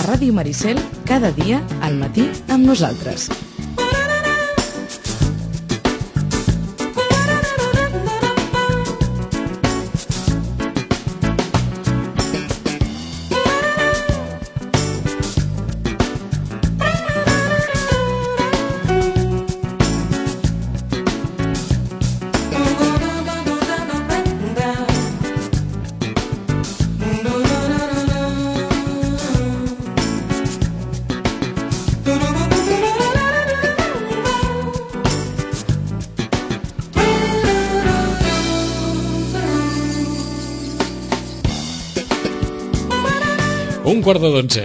a Ràdio Maricel, cada dia al matí amb nosaltres. Un quart de 12.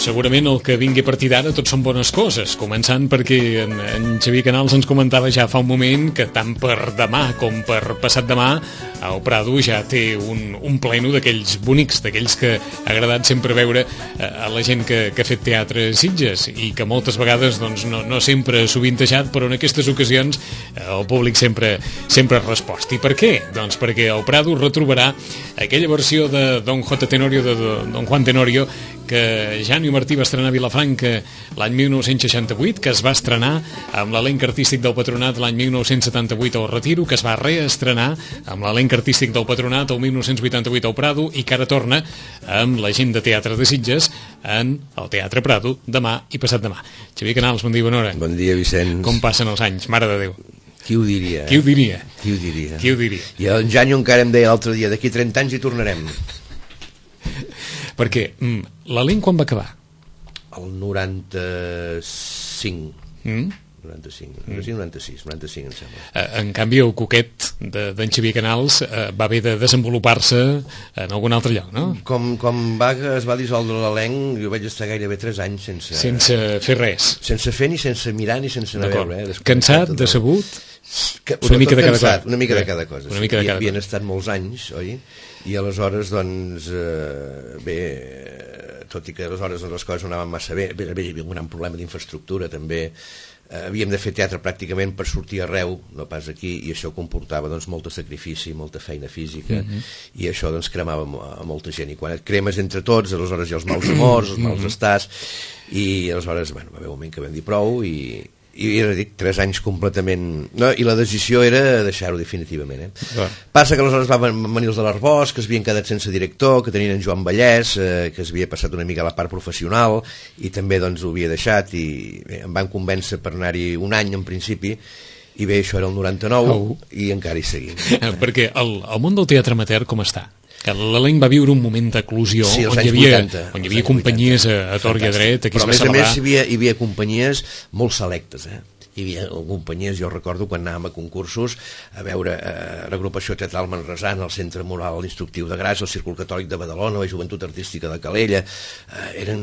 Segurament el que vingui a partir d'ara tot són bones coses, començant perquè en Xavier Canals ens comentava ja fa un moment que tant per demà com per passat demà el Prado ja té un pleno d'aquells bonics, d'aquells que ha agradat sempre veure a la gent que ha fet teatre a Sitges i que moltes vegades doncs, no sempre ha sovintejat, però en aquestes ocasions el públic sempre ha respost. I per què? Doncs perquè el Prado retrobarà aquella versió de Don J. Tenorio, de Don Juan Tenorio, que Janio Martí va estrenar a Vilafranca l'any 1968, que es va estrenar amb l'elenc artístic del Patronat l'any 1978 al Retiro, que es va reestrenar amb l'elenc artístic del Patronat el 1988 al Prado i que ara torna amb la gent de Teatre de Sitges en el Teatre Prado demà i passat demà. Xavier Canals, bon dia, bona hora. Bon dia, Vicenç. Com passen els anys, mare de Déu. Qui ho diria? Qui ho diria? Qui ho diria? Qui ho diria? I en Janio encara em deia l'altre dia, d'aquí 30 anys hi tornarem. Perquè l'elenc quan va acabar? El 95. 96, em sembla. En canvi, el coquet d'en Xavier Canals va haver de desenvolupar-se en algun altre lloc, no? Com es va dissoldre l'elenc, jo vaig estar gairebé 3 anys sense fer res. Sense fer, ni sense mirar, ni sense anar a veure. Cansat, decebut? Una mica de cada cosa. Una mica de cada cosa. Havien estat molts anys, oi? I aleshores, doncs, bé, tot i que aleshores les coses no anaven massa bé, hi havia un gran problema d'infraestructura, també. Havíem de fer teatre pràcticament per sortir arreu, no pas aquí, i això comportava doncs, molt de sacrifici, molta feina física, i això doncs, cremava a molta gent. I quan et cremes entre tots, aleshores hi ha els mals amors, els mals estats, i aleshores va haver un moment que vam dir prou, i era, dic, 3 anys completament... No, i la decisió era deixar-ho definitivament. Passa que aleshores van venir els de l'Arbós, que es havien quedat sense director, que tenien en Joan Vallès, que es havia passat una mica a la part professional, i també doncs, ho havia deixat, i bé, em van convèncer per anar-hi un any en principi, i bé, això era el 99, i encara hi seguim. Perquè el món del teatre amateur com està? Que l'elenc va viure un moment d'eclusió, sí, on hi havia companyies a tort i a dret, aquí es va celebrar. Però a més hi havia companyies molt selectes, hi havia companyies, jo recordo quan anàvem a concursos a veure l'agrupació teatral manresana, el Centre Moral Instructiu de Gras, el Círcul Catòlic de Badalona, la Joventut Artística de Calella, eren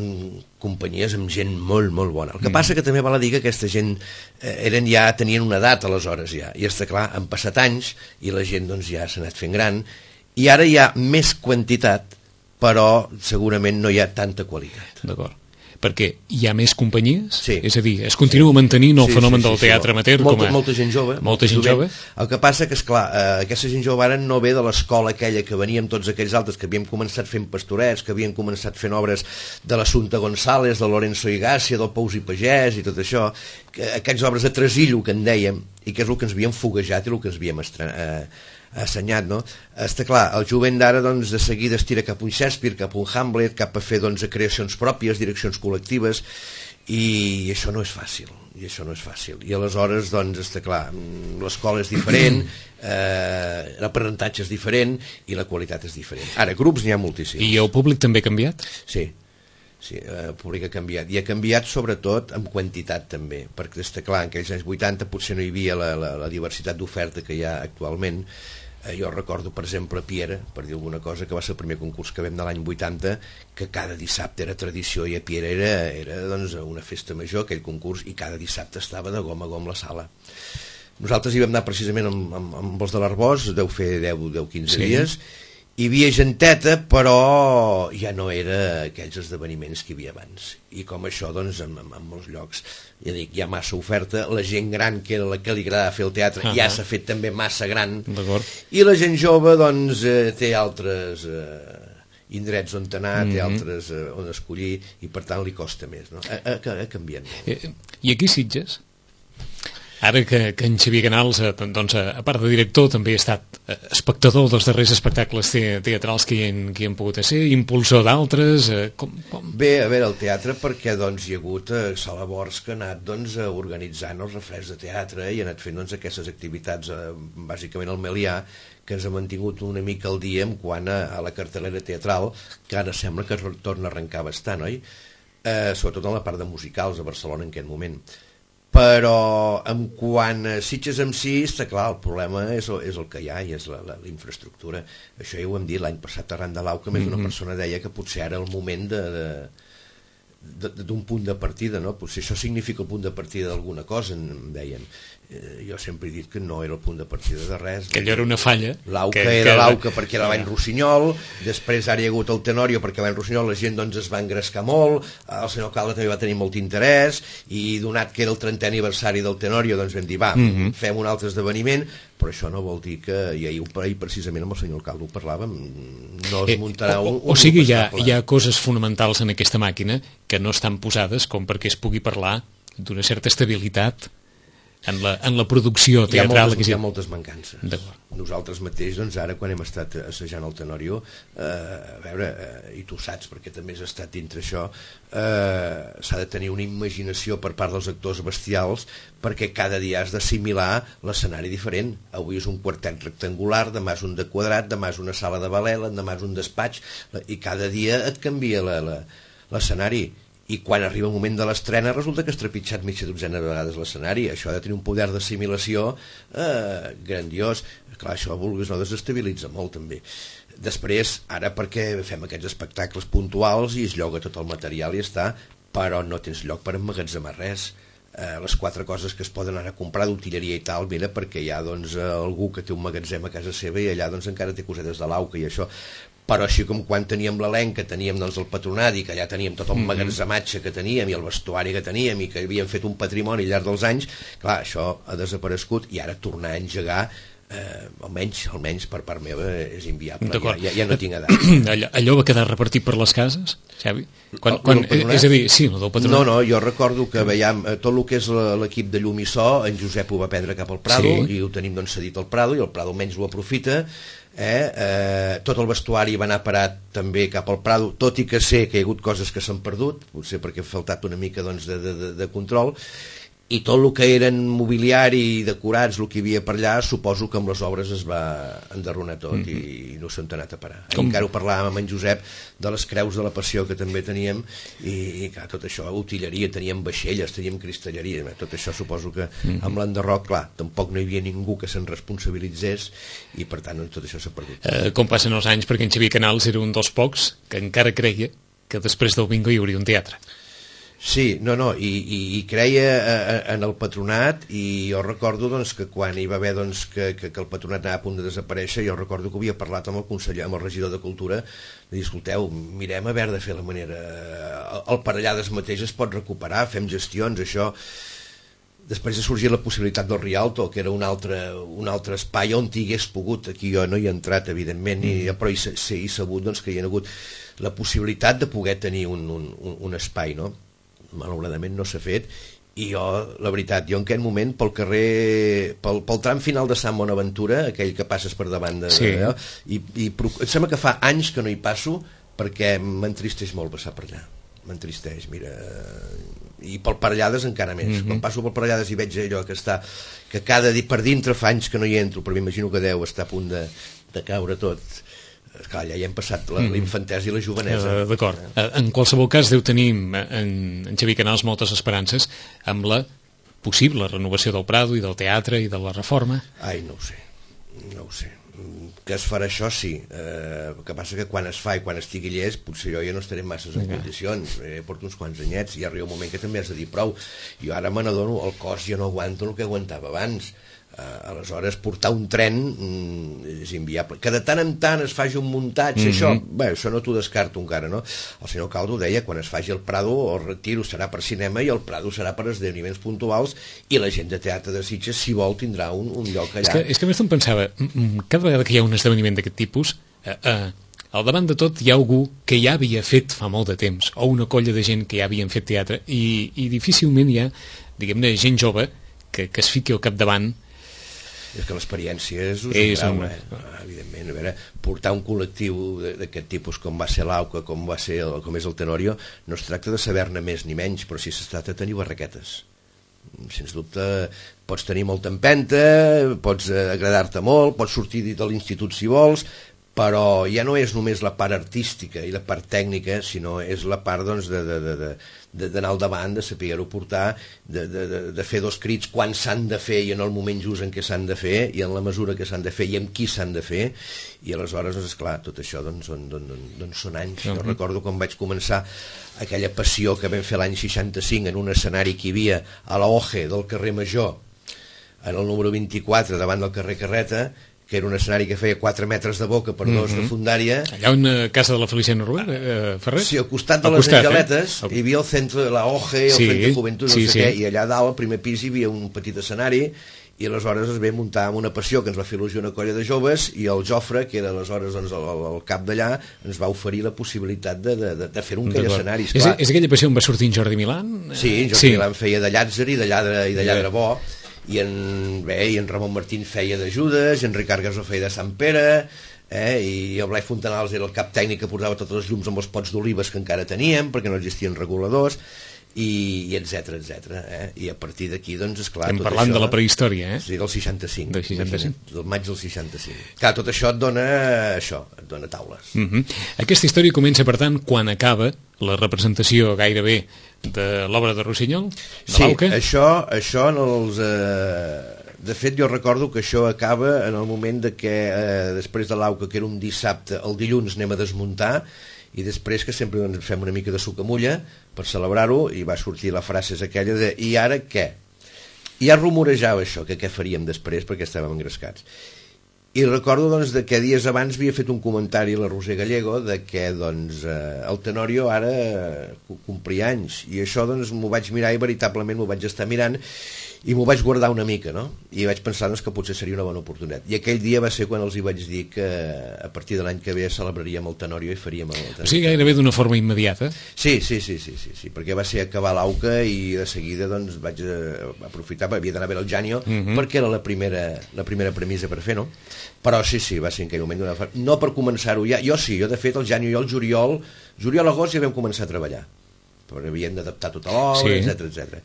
companyies amb gent molt, molt bona. El que passa que també val a dir que aquesta gent tenien una edat aleshores ja, i està clar, han passat anys i la gent doncs, ja s'ha anat fent gran, i ara hi ha més quantitat, però segurament no hi ha tanta qualitat. D'acord. Perquè hi ha més companyies? Sí. És a dir, es continua mantenint el fenomen del teatre amateur? Molta gent jove. Molta gent jove. El que passa que, esclar, aquesta gent jove ara no ve de l'escola aquella que veníem tots aquells altres, que havíem començat fent pastorets, que havien començat fent obres de l'Assumpta González, de Lorenzo Igàcia, del Pous i Pagès i tot això, aquestes obres de tresillo que en dèiem, i que és el que ens havíem foguejat i el que ens havíem assenyat, no? Està clar, el jovent d'ara doncs, de seguida es tira cap a un Shakespeare, cap a un Hamlet, cap a fer doncs, creacions pròpies, direccions col·lectives, i això no és fàcil. I aleshores, doncs, està clar, l'escola és diferent, l'aprenentatge és diferent i la qualitat és diferent. Ara, grups n'hi ha moltíssims. I el públic també ha canviat? Sí, el públic ha canviat, i ha canviat sobretot en quantitat també, perquè està clar, en aquells anys 80 potser no hi havia la diversitat d'oferta que hi ha actualment. Jo recordo, per exemple, Piera, per dir alguna cosa, que va ser el primer concurs que vam de l'any 80, que cada dissabte era tradició, i a Piera era doncs, una festa major, aquell concurs, i cada dissabte estava de gom a gom la sala. Nosaltres hi vam anar precisament amb els de l'Arbós, deu fer 10-15 dies, hi havia genteta, però ja no era aquells esdeveniments que hi havia abans. I com això, doncs, en molts llocs, ja dic, hi ha massa oferta, la gent gran, que era la que li agradava fer el teatre, ja s'ha fet també massa gran, i la gent jove, doncs, té altres indrets on anar, té altres on escollir, i per tant li costa més, no? Ha canviat molt. I aquí Sitges? Ara que en Xavier Canals, doncs, a part de director, també ha estat espectador dels darrers espectacles teatrals que hi han pogut ser, impulsor d'altres... Bé, a veure, el teatre, perquè doncs, hi ha hagut Sala Bors que ha anat doncs, organitzant els refreds de teatre i ha anat fent doncs, aquestes activitats, bàsicament al Melià, que ens ha mantingut una mica al dia en quant a la cartelera teatral, que ara sembla que torna a arrencar bastant, oi? Sobretot en la part de musicals a Barcelona en aquest moment. Però en quant a Sitges en si, està clar, el problema és el que hi ha i és la infraestructura. Això ja ho hem dit l'any passat arran de l'AU, que més d'una persona deia que potser ara el moment d'un punt de partida, no? Potser això significa el punt de partida d'alguna cosa, em deien. Jo sempre he dit que no era el punt de partida de res. Que allò era una falla. L'AUCA era l'AUCA perquè era l'any Rossinyol, després ara hi ha hagut el Tenorio perquè l'any Rossinyol la gent doncs, es va engrescar molt, el senyor alcalde també va tenir molt interès, i donat que era el 30è aniversari del Tenorio, doncs vam dir, va, fem un altre esdeveniment, però això no vol dir que, i ahir precisament amb el senyor alcalde ho parlàvem, no es muntarà o sigui, hi ha coses fonamentals en aquesta màquina que no estan posades com perquè es pugui parlar d'una certa estabilitat en la producció teatral. Hi ha moltes mancances. Nosaltres mateix, doncs, ara quan hem estat assajant el Tenorio, a veure, i tu saps perquè també has estat dintre això, s'ha de tenir una imaginació per part dels actors bestials, perquè cada dia has d'assimilar l'escenari diferent. Avui és un quartet rectangular, demà és un de quadrat, demà és una sala de ballet, demà és un despatx, i cada dia et canvia l'escenari. I quan arriba el moment de l'estrena resulta que has trepitjat mitja dotzena de vegades l'escenari. Això ha de tenir un poder d'assimilació grandiós. Clar, això, vulguis no, desestabilitza molt també. Després, ara perquè fem aquests espectacles puntuals i es lloga tot el material i està, però no tens lloc per emmagatzemar res. Les 4 coses que es poden anar a comprar d'utilleria i tal, mira, perquè hi ha doncs, algú que té un magatzem a casa seva i allà doncs, encara té cosetes de l'AUCA i això. Però així com quan teníem l'elenc, que teníem doncs, el patronat i que allà teníem tot el magatzematge que teníem i el vestuari que teníem i que havíem fet un patrimoni al llarg dels anys, clar, això ha desaparegut i ara tornar a engegar, almenys per part meva és inviable, ja no tinc edat. Allò va quedar repartit per les cases, Xavi? És a dir, sí, el del patronat. No, jo recordo que veiem tot el que és l'equip de llum i so, en Josep ho va prendre cap al Prado, i ho tenim doncs, cedit al Prado, i el Prado almenys ho aprofita. Tot el vestuari va anar parat també cap al Prado, tot i que sé que hi ha hagut coses que s'han perdut, potser perquè ha faltat una mica doncs, de control, i tot el que eren mobiliari i decorats, el que hi havia per allà, suposo que amb les obres es va enderronar tot i no s'han anat a parar. Encara ho parlàvem amb en Josep de les creus de la Passió que també teníem, i clar, tot això, utilleria, teníem vaixelles, teníem cristalleria, tot això suposo que amb l'enderroc, clar, tampoc no hi havia ningú que se'n responsabilitzés i per tant tot això s'ha perdut. Com passen els anys, perquè en Xavier Canals era un dels pocs que encara creia que després del bingo hi hauria un teatre. Sí, i creia en el patronat, i jo recordo doncs, que quan hi va haver doncs, que el patronat anava a punt de desaparèixer, jo recordo que havia parlat amb el conseller, amb el regidor de Cultura, de dir, escolteu, mirem a veure de fer la manera, el Parellades mateix es pot recuperar, fem gestions, això. Després ha sorgit la possibilitat del Rialto, que era un altre espai on hi hagués pogut, aquí jo no hi he entrat evidentment, però he sabut doncs, que hi ha hagut la possibilitat de poder tenir un espai, no? Malauradament no s'ha fet, i jo, la veritat, jo en aquest moment pel carrer, pel tram final de Sant Bonaventura, aquell que passes per davant i em sembla que fa anys que no hi passo perquè m'entristeix molt passar per allà, m'entristeix, mira, i pel Parellades encara més. Quan passo pel Parellades i veig allò que cada dia per dintre fa anys que no hi entro, però m'imagino que deu estar a punt de caure tot. Clar, ja hi hem passat la infantesa i la jovenesa. D'acord. En qualsevol cas deu tenir en Xavier Canals moltes esperances amb la possible renovació del Prado i del teatre i de la reforma. Ai, no ho sé. Que es farà això, sí. El que passa que quan es fa i quan estigui llest, potser jo ja no estaré masses en condicions. Porto uns quants anyets i arriba un moment que també has de dir prou. Jo ara me n'adono, el cos ja no aguanto el que aguantava abans. Aleshores, portar un tren és inviable. Que de tant en tant es faci un muntatge, això no t'ho descarto encara, no? El senyor Caldo deia, quan es faci el Prado, el Retiro serà per cinema i el Prado serà per esdeveniments puntuals, i la gent de teatre de Sitges, si vol, tindrà un lloc allà. És que més em pensava, cada vegada que hi ha un esdeveniment d'aquest tipus, al davant de tot hi ha algú que ja havia fet fa molt de temps, o una colla de gent que ja havien fet teatre, i difícilment hi ha, diguem-ne, gent jove que es fiqui al capdavant. És que l'experiència és evidentment. A veure, portar un col·lectiu d'aquest tipus com va ser l'AUCA, com és el Tenorio, no es tracta de saber-ne més ni menys, però sí es tracta de tenir barraquetes. Sens dubte pots tenir molta empenta, pots agradar-te molt, pots sortir de l'institut si vols, però ja no és només la part artística i la part tècnica, sinó és la part doncs, d'anar al davant, de saber-ho portar, de fer dos crits quan s'han de fer i en el moment just en què s'han de fer i en la mesura que s'han de fer i amb qui s'han de fer, i aleshores, doncs, esclar, tot això són anys. Jo recordo quan vaig començar aquella passió que vam fer l'any 65 en un escenari que hi havia a la OGE del carrer Major, en el número 24 davant del carrer Carreta, que era un escenari que feia 4 metres de boca per 2 de fundària. Allà on casa de la Feliciana Rubén, Ferrer? Sí, al costat de les Angeletes, hi havia el centre de la OGE, el centre de Juventud, no sé què, i allà dalt, al primer pis, hi havia un petit escenari, i aleshores es ve muntar amb una passió que ens va fer il·lusió una colla de joves, i el Jofre, que era aleshores el cap d'allà, ens va oferir la possibilitat de fer un aquell escenari. És aquella passió on va sortir en Jordi Milán? Sí, en Jordi Milán feia de llàtzer i de lladre bo, i en Ramon Martín feia de Judes, i en Ricard Gasó feia de Sant Pere, i el Blai Fontanals era el cap tècnic que portava totes les llums amb els pots d'olives que encara teníem, perquè no existien reguladors, i etc. I a partir d'aquí, doncs, esclar, estem parlant de la prehistòria, Sí, del 65. Del 65. Del maig del 65. Clar, tot això et dona taules. Aquesta història comença, per tant, quan acaba la representació gairebé de l'obra de Rossinyol? Sí, això en els... De fet, jo recordo que això acaba en el moment de que després de l'AUCA, que era un dissabte, el dilluns anem a desmuntar, i després que sempre fem una mica de sucamulla per celebrar-ho, i va sortir la frase aquella de i ara què? I ja rumorejava això, que què faríem després, perquè estàvem engrescats. I recordo doncs, que dies abans havia fet un comentari a la Roser Gallego de que doncs, el Tenorio ara complia anys, i això doncs, m'ho vaig mirar i veritablement m'ho vaig estar mirant i m'ho vaig guardar una mica, no? I vaig pensar doncs, que potser seria una bona oportunitat. I aquell dia va ser quan els hi vaig dir que a partir de l'any que ve celebraríem el Tenorio i faríem el Tenorio. O sigui, gairebé d'una forma immediata? Sí, perquè va ser acabar l'AUCA i de seguida doncs, vaig aprofitar, havia d'anar a veure el Janio, perquè era la primera premissa per fer, no? Però sí, va ser en aquell moment no per començar-ho ja, jo de fet el Janio i el juliol-agost ja vam començar a treballar, però havíem d'adaptar tota l'obra, etc.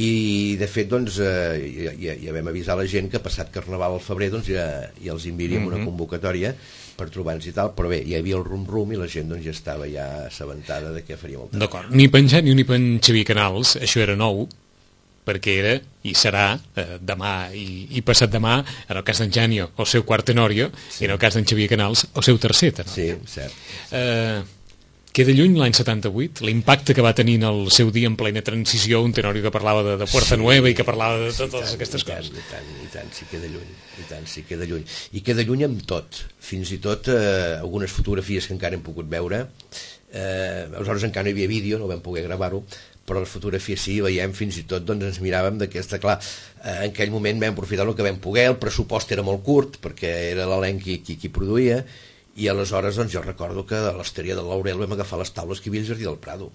I de fet doncs, ja vam avisar la gent que passat Carnaval al febrer doncs, ja els enviaríem una convocatòria per trobar-nos i tal, però bé, hi havia el rum-rum i la gent doncs, ja estava ja assabentada de què faríem el temps. D'acord, ni per en Janio ni per en Xavier Canals això era nou, perquè era i serà demà i passat demà, en el cas d'en Janio el seu quart Tenorio, i en el cas d'en Xavier Canals el seu tercer Tenorio. Sí, cert. Queda lluny l'any 78, l'impacte que va tenir en el seu dia en plena transició, un Tenorio que parlava de Puerta Nueva i que parlava de totes aquestes coses. I tant, sí queda lluny. I queda lluny amb tot, fins i tot algunes fotografies que encara hem pogut veure, aleshores encara no hi havia vídeo, no vam poder gravar-ho, però les fotografies sí, veiem fins i tot, doncs ens miràvem d'aquesta, clar, en aquell moment vam aprofitar el que vam poder, el pressupost era molt curt, perquè era l'elenc qui produïa, i aleshores doncs, jo recordo que a l'Hosteria del Laurel vam agafar les taules que hi havia al Jardí del Prado,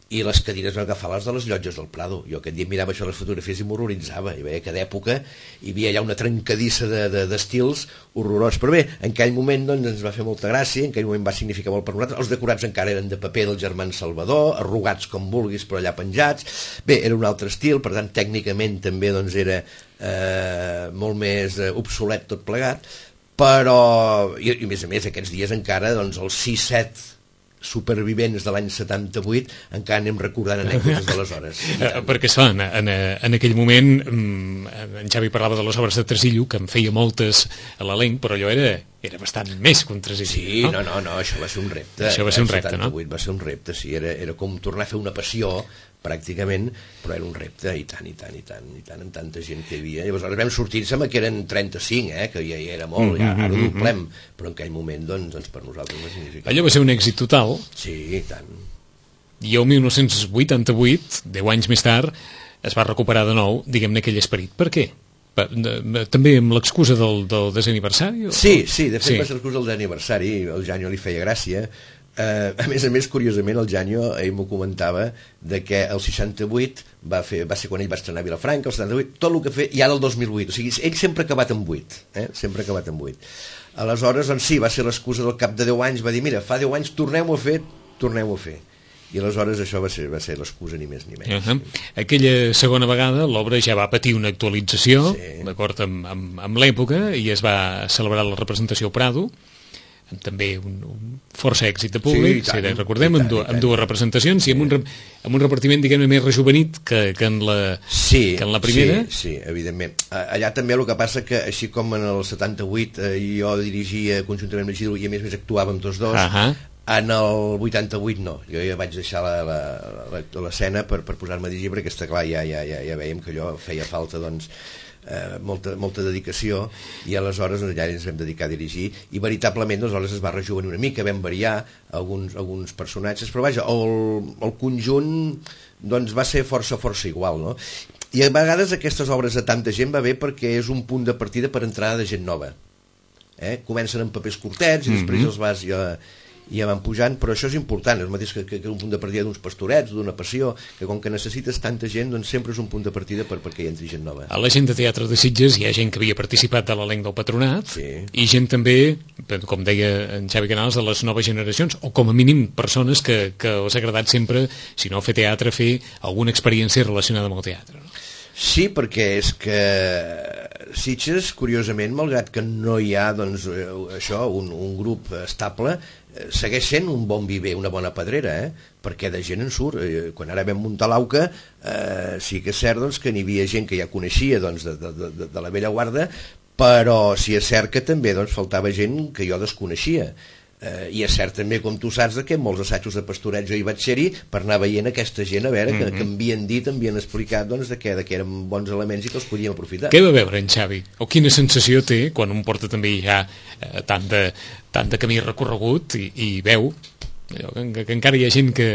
i les cadires vam agafar les de les llotges del Prado. Jo aquest dia mirava això les fotografies i m'horroritzava, i veia que d'època hi havia allà una trencadissa d'estils horrorós, però bé, en aquell moment doncs, ens va fer molta gràcia, en aquell moment va significar molt per nosaltres, els decorats encara eren de paper del germà Salvador, arrugats com vulguis però allà penjats, bé, era un altre estil, per tant tècnicament també doncs, era molt més obsolet tot plegat, però, i a més aquests dies encara doncs, els 6-7 supervivents de l'any 78 encara anem recordant anècdotes d'aleshores. Perquè clar, en aquell moment en Xavi parlava de les obres de Tresillo, que en feia moltes a l'elenc, però allò era bastant més que un Tresillo. Sí, no, això va ser un repte. Això va ser un repte, no? Va ser un repte, sí, era com tornar a fer una passió pràcticament, però era un repte i tant, amb tanta gent que hi havia. Llavors vam sortir, sembla que eren 35, que ja era molt, ja ara ho doblem, però en aquell moment, doncs per nosaltres va significar. Allò va ser un èxit total. Sí, i tant. I el 1988, 10 anys més tard, es va recuperar de nou, diguem-ne, aquell esperit. Per què? També amb l'excusa del desaniversari? Sí, de fet va ser l'excusa del desaniversari, el Janyo li feia gràcia. A més, curiosament, el Janyo, ell m'ho comentava, de que el 68 va ser quan ell va estrenar Vilafranca, el 78, tot el que feia, i ara el 2008, o sigui, ell sempre ha acabat amb 8, sempre ha acabat amb 8. Aleshores, doncs sí, va ser l'excusa del cap de 10 anys, va dir, mira, fa 10 anys torneu-ho a fer. I aleshores això va ser l'excusa, ni més ni menys. Aquella segona vegada l'obra ja va patir una actualització, d'acord amb l'època, i es va celebrar la representació Prado, amb també un força èxit de públic, recordem, amb dues representacions i amb un repartiment, diguem-ne, més rejuvenit que en la primera. Sí, evidentment. Allà també el que passa que, així com en el 78 jo dirigia conjuntament amb Isidro i a més actuàvem tots dos, en el 88 no, jo ja vaig deixar l'escena per posar-me a dirigir, perquè està clar, ja veiem que allò feia falta, doncs, molta dedicació, i aleshores ja ens vam dedicar a dirigir, i veritablement aleshores es va rejuvenir una mica, vam variar alguns personatges, però vaja, el conjunt doncs va ser força igual, no? I a vegades aquestes obres de tanta gent va bé perquè és un punt de partida per entrada de gent nova, comencen amb papers curtets i després els vas ja van pujant, però això és important, és el mateix que un punt de partida d'uns pastorets, d'una passió, que com que necessites tanta gent, doncs sempre és un punt de partida perquè hi entri gent nova. A la gent de Teatre de Sitges hi ha gent que havia participat de l'elenc del Patronat, i gent també, com deia en Xavi Canals, de les noves generacions, o com a mínim persones que us ha agradat sempre, si no fer teatre, fer alguna experiència relacionada amb el teatre, no? Sí, perquè és que Sitges, curiosament, malgrat que no hi ha doncs, un grup estable, segueix sent un bon viver, una bona pedrera, perquè de gent en surt. Quan ara vam muntar l'AUCA, sí que és cert doncs, que n'hi havia gent que ja coneixia doncs, de la vella guarda, però sí és cert que també doncs, faltava gent que jo desconeixia. I és cert també, com tu saps, que molts assajos de pastorets jo hi vaig ser-hi per anar veient aquesta gent, a veure, que m'havien dit, m'havien explicat doncs, que eren bons elements i que els podíem aprofitar. Què va veure en Xavi? O quina sensació té quan un porta també ja tant de camí recorregut i veu que encara hi ha gent que...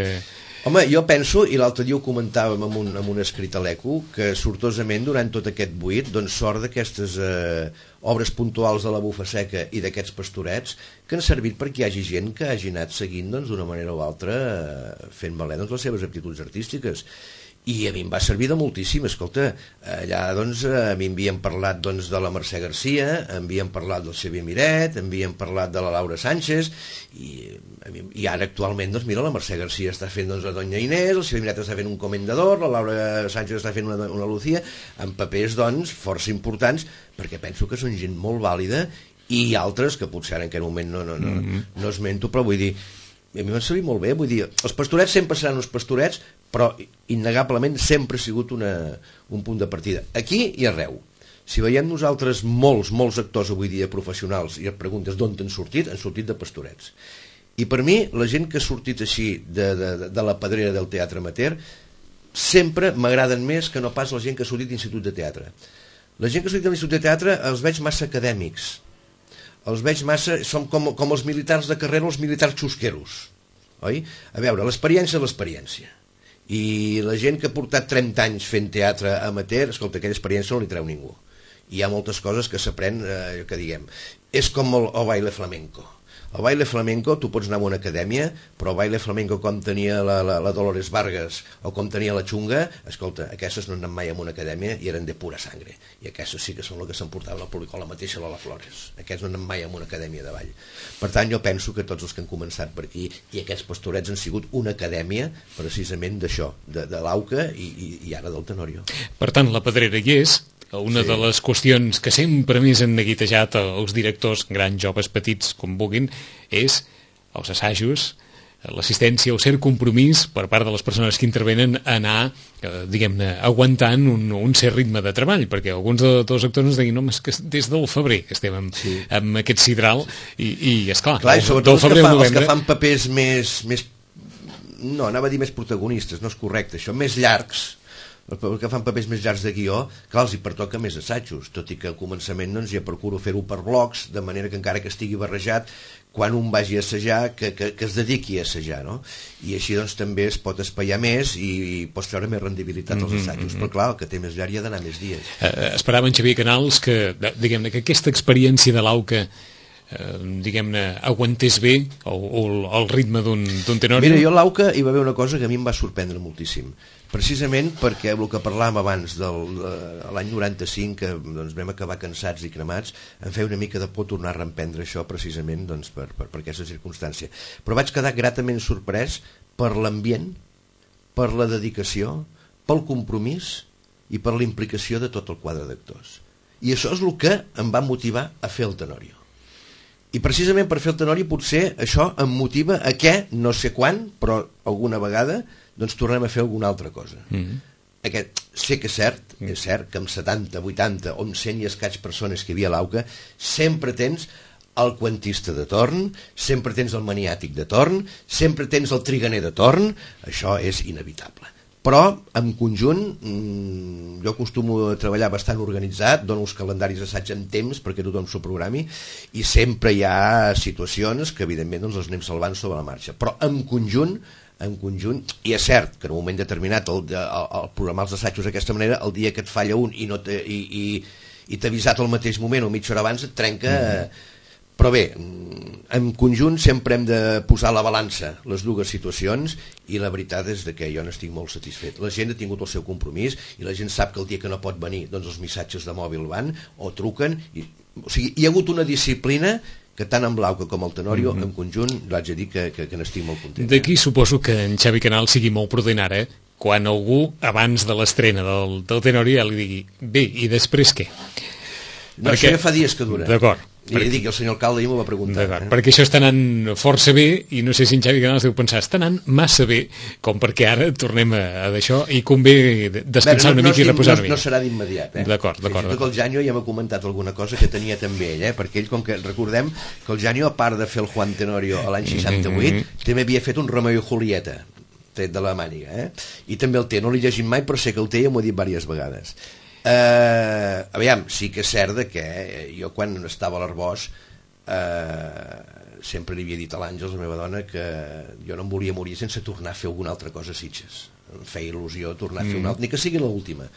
Home, jo penso, i l'altre dia ho comentàvem amb un escrit a l'ECO, que sortosament durant tot aquest buit, doncs sort d'aquestes obres puntuals de la Bufa Seca i d'aquests pastorets, que han servit perquè hi hagi gent que hagi anat seguint doncs, d'una manera o altra fent valer doncs, les seves aptituds artístiques. I a mi em va servir de moltíssim. Escolta, allà doncs, a mi m'havien parlat doncs, de la Mercè Garcia, m'havien parlat del Xavier Miret, m'havien parlat de la Laura Sánchez, i ara actualment doncs, mira, la Mercè Garcia està fent doncs, la Doña Inés, el Xavier Miret està fent un comendador, la Laura Sánchez està fent una Lucía, amb papers doncs, força importants, perquè penso que són gent molt vàlida, i altres que potser ara en aquest moment no esmento, però vull dir, a mi m'ha servit molt bé, vull dir, els pastorets sempre seran uns pastorets, però innegablement sempre ha sigut un punt de partida, aquí i arreu. Si veiem nosaltres molts actors avui dia professionals i et preguntes d'on han sortit de pastorets. I per mi, la gent que ha sortit així de la pedrera del teatre amateur sempre m'agraden més que no pas la gent que ha sortit d'institut de teatre. La gent que ha sortit de l'institut de teatre els veig massa acadèmics, els veig massa, són com els militars de carrera, els militars xusqueros, oi? A veure, l'experiència és l'experiència, i la gent que ha portat 30 anys fent teatre amateur, escolta, aquella experiència no li treu ningú. Hi ha moltes coses que s'aprèn, que diguem, és com el baile flamenco. El baile flamenco, tu pots anar a una acadèmia, però el baile flamenco com tenia la Dolores Vargas o com tenia la Xunga, escolta, aquestes no han anat mai a una acadèmia i eren de pura sangre. I aquestes sí que són el que s'emportaven al públic, o la mateixa Lola Flores. Aquests no han anat mai a una acadèmia de ball. Per tant, jo penso que tots els que han començat per aquí i aquests pastorets han sigut una acadèmia precisament d'això, de l'AUCA i ara del Tenorio. Per tant, la pedrera hi és. Una de les qüestions que sempre més han neguitejat els directors, grans, joves, petits, com vulguin, és els assajos, l'assistència, el cert compromís per part de les persones que intervenen a anar, diguem-ne, aguantant un cert ritme de treball, perquè alguns dels actors ens deien, no, és que des del febrer que estem amb aquest sidral, i esclar, del febrer al novembre... Els que fan papers més no, anava a dir més protagonistes, no és correcte, això, més llargs, que fan papers més llargs de guió, clar, els hi pertoca més assajos, tot i que al començament doncs, ja procuro fer-ho per blocs, de manera que encara que estigui barrejat, quan un vagi a assajar, que es dediqui a assajar, no? I així doncs també es pot espaiar més i pots treure més rendibilitat als assajos, però clar, el que té més llarg hi ha d'anar més dies. Esperava en Xavier Canals que, diguem-ne, que aquesta experiència de l'AUCA diguem-ne, aguantés bé el ritme d'un tenori? Mira, jo a l'AUCA hi va haver una cosa que a mi em va sorprendre moltíssim, precisament perquè el que parlàvem abans de l'any 95, que doncs, vam acabar cansats i cremats, em feia una mica de por tornar a reemprendre això precisament doncs, per aquesta circumstància, però vaig quedar gratament sorprès per l'ambient, per la dedicació, pel compromís i per la implicació de tot el quadre d'actors, i això és el que em va motivar a fer el Tenorio. I precisament per fer el Tenorio potser això em motiva a que, no sé quan, però alguna vegada doncs tornem a fer alguna altra cosa. Sé que és cert que amb 70, 80 o amb 100 i escaig persones que hi havia a l'AUCA sempre tens el quantista de torn, sempre tens el maniàtic de torn, sempre tens el triganer de torn, això és inevitable. Però, en conjunt, jo acostumo a treballar bastant organitzat, dono els calendaris d'assaig en temps perquè tothom s'ho programi, i sempre hi ha situacions que, evidentment, doncs, les anem salvant sobre la marxa. Però, en conjunt, i és cert que en un moment determinat el programar els assajos d'aquesta manera, el dia que et falla un i t'ha avisat al mateix moment o mitja hora abans et trenca... Però bé, en conjunt sempre hem de posar a la balança les dues situacions i la veritat és que jo n'estic molt satisfet. La gent ha tingut el seu compromís i la gent sap que el dia que no pot venir doncs els missatges de mòbil van o truquen. O sigui, hi ha hagut una disciplina que tant amb l'AUCA com el Tenorio en conjunt l'haig de dir que n'estic molt content. D'aquí suposo que en Xavi Canal sigui molt prudent ara, quan algú abans de l'estrena del Tenorio ja li digui bé, i després què? No, perquè... això ja fa dies que dura. D'acord. I li dic que el senyor alcalde ahir m'ho va preguntar. Perquè això està anant força bé i no sé si en Xavi Canals deu pensar està anant massa bé com perquè ara tornem a d'això i convé descansar una mica i reposar una mica. No serà d'immediat. D'acord. Fins i tot el Janio ja m'ha comentat alguna cosa que tenia també ell, perquè ell, com que recordem que el Janio, a part de fer el Juan Tenorio a l'any 68, també havia fet un Romeo i Julieta tret de la màniga, i també el té, no l'he llegit mai però sé que el té i m'ho ha dit diverses vegades. Aviam, sí que és cert que jo quan estava a l'Arbós sempre li havia dit a l'Àngels, la meva dona, que jo no em volia morir sense tornar a fer alguna altra cosa a Sitges. Em feia il·lusió tornar a fer una altra, ni que sigui l'última.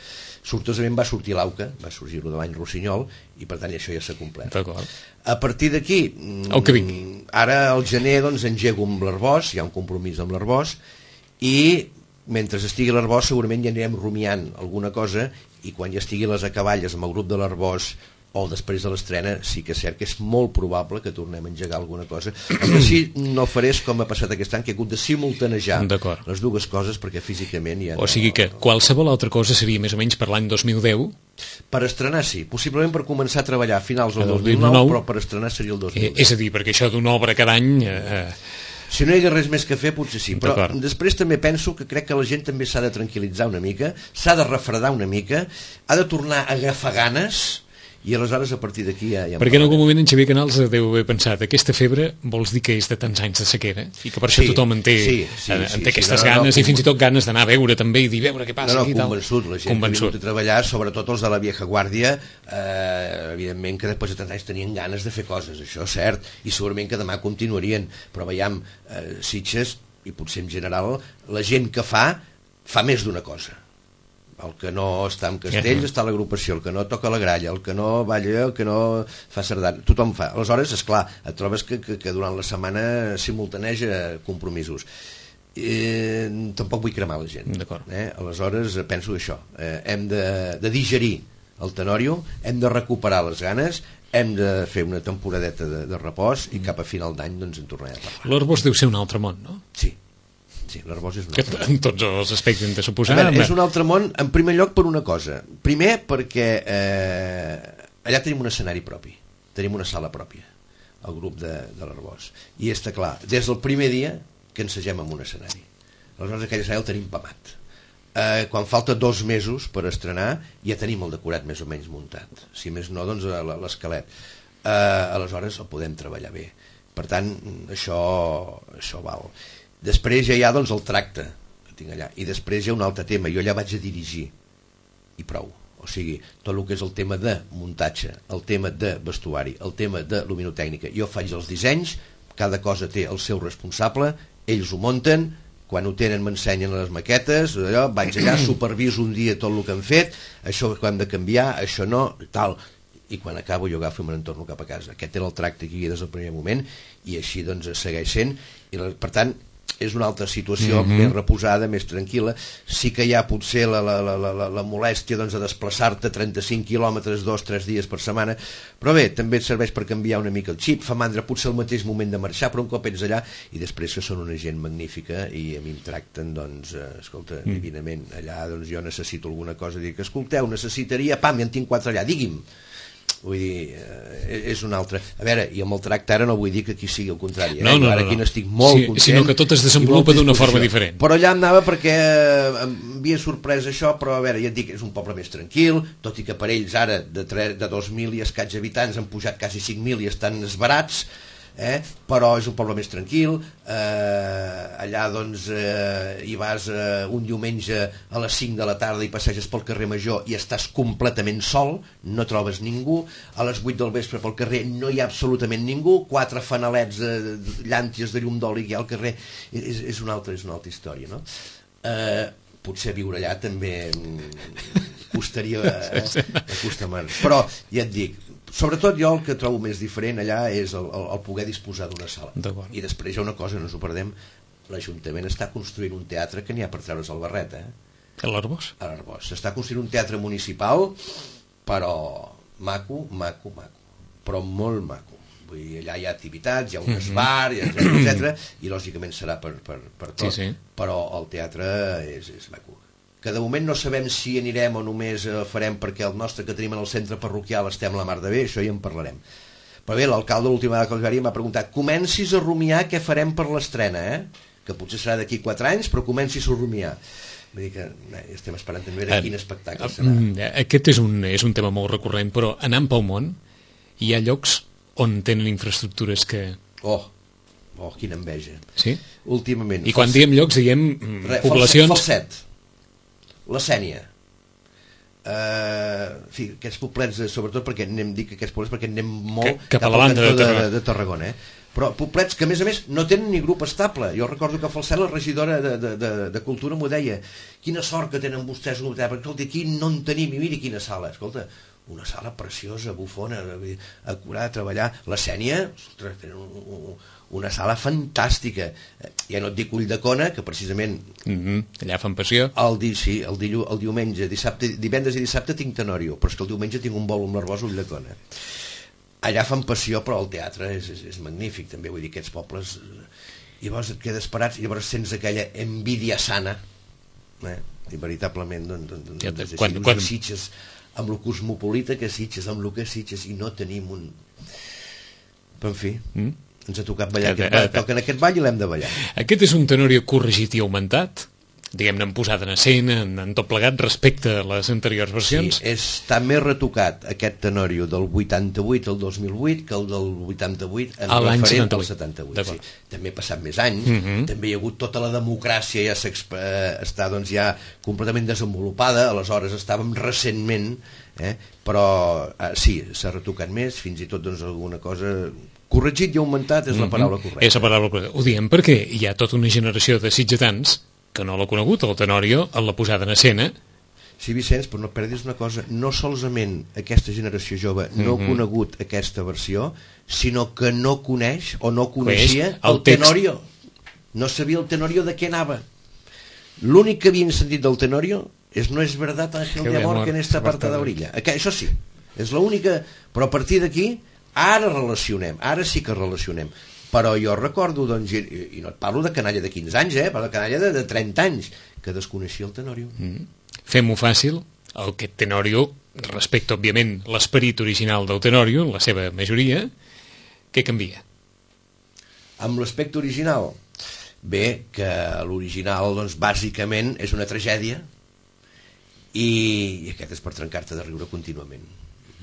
Sortosament va sortir l'AUCA, va sorgir de l'any Rossinyol, i per tant això ja s'ha complert. A partir d'aquí, ara al gener doncs engego amb l'Arbós, hi ha un compromís amb l'Arbós, i mentre estigui a l'Arbós segurament ja anirem rumiant alguna cosa, i quan ja estigui les acaballes amb el grup de l'Arbós o després de l'estrena, sí que és cert que és molt probable que tornem a engegar alguna cosa. El que sí no faré és com ha passat aquest any, que he hagut de simultanejar les dues coses perquè físicament ja no... O sigui que qualsevol altra cosa seria més o menys per l'any 2010? Per estrenar sí, possiblement per començar a treballar a finals del 2009, però per estrenar seria el 2010. És a dir, perquè això d'una obra cada any... Si no hi hagués res més que fer, potser sí. Però després també penso que crec que la gent també s'ha de tranquil·litzar una mica, s'ha de refredar una mica, ha de tornar a agafar ganes, i aleshores a partir d'aquí ja... Perquè en algun moment en Xavier Canals deu haver pensat aquesta febre vols dir que és de tants anys de sequera i que per això tothom en té aquestes ganes i fins i tot ganes d'anar a veure també i dir veure què passa aquí. Convençut, la gent que ha vingut a treballar, sobretot els de la vieja guàrdia, evidentment que després de tants anys tenien ganes de fer coses, això és cert, i segurament que demà continuarien, però veiem Sitges, i potser en general la gent que fa més d'una cosa. El que no està en castells està a l'agrupació, el que no toca la gralla, el que no balla, el que no fa sardana, tothom fa. Aleshores, esclar, et trobes que durant la setmana simultaneja compromisos. Tampoc vull cremar la gent. Aleshores, penso això. Hem de digerir el Tenorio, hem de recuperar les ganes, hem de fer una temporadeta de repòs i cap a final d'any doncs en tornarem a parlar. L'Arbós deu ser un altre món, no? Sí, l'Arbós és un altre món. En tots els aspectes de suposar. És un altre món, en primer lloc, per una cosa. Primer, perquè allà tenim un escenari propi, tenim una sala pròpia, el grup de l'Arbós. I està clar, des del primer dia que ensagem en un escenari. Aleshores, aquell escenari el tenim pamat. Quan falta 2 mesos per estrenar, ja tenim el decorat més o menys muntat. Si més no, doncs l'esquelet. Aleshores, el podem treballar bé. Per tant, això val. Després ja hi ha doncs el tracte que tinc allà, i després hi ha un altre tema, jo allà vaig a dirigir i prou, o sigui, tot el que és el tema de muntatge, el tema de vestuari, el tema de luminotècnica, jo faig els dissenys, cada cosa té el seu responsable, ells ho munten, quan ho tenen m'ensenyen les maquetes, allò, vaig allà, superviso un dia tot el que han fet, això que hem de canviar, això no, tal, i quan acabo jo agafo i me'n torno cap a casa. Aquest era el tracte que hi havia des del primer moment, i així doncs segueix sent, i per tant és una altra situació més reposada, més tranquil·la. Sí que hi ha potser la molèstia doncs, de desplaçar-te 35 quilòmetres 2-3 dies per setmana, però bé, també et serveix per canviar una mica el xip, fa mandra potser el mateix moment de marxar, però un cop ets allà, i després que són una gent magnífica i a mi em tracten, doncs, escolta, divinament. Allà doncs, jo necessito alguna cosa, dic, escolteu, necessitaria, pam, ja en tinc 4 allà, digui'm. Vull dir, és un altre. A veure, i amb el tracte ara no vull dir que aquí sigui el contrari, no, ara aquí n'estic molt content, sinó que tot es desenvolupa d'una forma diferent. Però allà anava perquè em havia sorprès això, però a veure, ja et dic, és un poble més tranquil, tot i que per ells ara de 2.000 i escaig habitants han pujat quasi 5.000 i estan esbarats, però és un poble més tranquil. Allà doncs hi vas un diumenge a les 5 de la tarda i passeges pel carrer Major i estàs completament sol, no trobes ningú. A les 8 del vespre pel carrer no hi ha absolutament ningú, 4 fanalets llànties de llum d'oli que hi ha al carrer. És una altra història, no? Potser viure allà també costaria acostumar, però ja et dic, sobretot jo el que trobo més diferent allà és el poder disposar d'una sala. I després hi ha una cosa, no ens ho perdem, l'Ajuntament està construint un teatre que n'hi ha per treure's el barret, A l'Arboç? A l'Arboç. S'està construint un teatre municipal, però maco, però molt maco. Vull dir, allà hi ha activitats, hi ha un esbar, etc. I lògicament serà per tot, però el teatre és maco. Que de moment no sabem si anirem o només farem perquè el nostre que tenim en el centre parroquial estem la mar de bé, això ja en parlarem. Però bé, l'alcalde l'última vegada que els veia m'ha preguntat, comencis a rumiar què farem per l'estrena, que potser serà d'aquí 4 anys, però comencis a rumiar. Vull dir que estem esperant també veure quin espectacle serà. Aquest és un tema molt recurrent, però anant pel món hi ha llocs on tenen infraestructures que... Oh, quina enveja. Sí? Últimament. I quan diem llocs, diem poblacions... Falset. La Sénia, aquests poblets, sobretot perquè anem molt cap a la banda de Tarragona, però poblets que a més no tenen ni grup estable. Jo recordo que a Falset la regidora de Cultura m'ho deia, quina sort que tenen vostès un hotel, perquè escolta, aquí no en tenim, i miri quina sala, escolta, una sala preciosa, bufona, acurada, treballar. La Sénia, ostres, tenen una sala fantàstica, ja no et dic Ulldecona, que precisament allà fan passió. El diumenge, divendres i dissabte tinc Tenorio, però és que el diumenge tinc un vol amb l'Arboç a Ulldecona. Allà fan passió, però el teatre és magnífic també, vull dir, aquests pobles, llavors et quedes parats i llavors sents aquella envídia sana, i veritablement doncs quan Sitges amb lo cosmopolita que Sitges, amb lo que Sitges, i no tenim un... Però en fi... ens ha tocat ballar en aquest ball i l'hem de ballar. Aquest és un Tenorio corregit i augmentat, diguem-ne en posada en escena, en tot plegat respecte a les anteriors versions. Sí, està més retocat aquest Tenorio del 88 al 2008 que el del 88 en referent al 78. Sí. També ha passat més anys, també hi ha hagut tota la democràcia, ja està doncs ja completament desenvolupada, aleshores estàvem recentment, però sí, s'ha retocat més, fins i tot doncs alguna cosa... Corregit i augmentat és la paraula correcta. És la paraula correcta. Ho diem perquè hi ha tota una generació de sitgetans que no l'ha conegut, el Tenorio, en la posada en escena. Sí, Vicenç, però no perdis una cosa, no solament aquesta generació jove no ha conegut aquesta versió, sinó que no coneix o no coneixia el Tenorio. No sabia el Tenorio de què anava. L'únic que havien sentit del Tenorio és no és verdad Ángel de amor que en esta parte de orilla. Això sí, és l'única, però a partir d'aquí ara sí que relacionem, però jo recordo, doncs, i no et parlo de canalla de 15 anys, però de canalla de 30 anys, que desconeixia el Tenorio. Fem-ho fàcil, aquest Tenorio, respecte, òbviament, l'esperit original del Tenorio, en la seva majoria, què canvia? Amb l'aspecte original? Bé, que l'original, doncs, bàsicament, és una tragèdia, i aquest és per trencar-te de riure contínuament.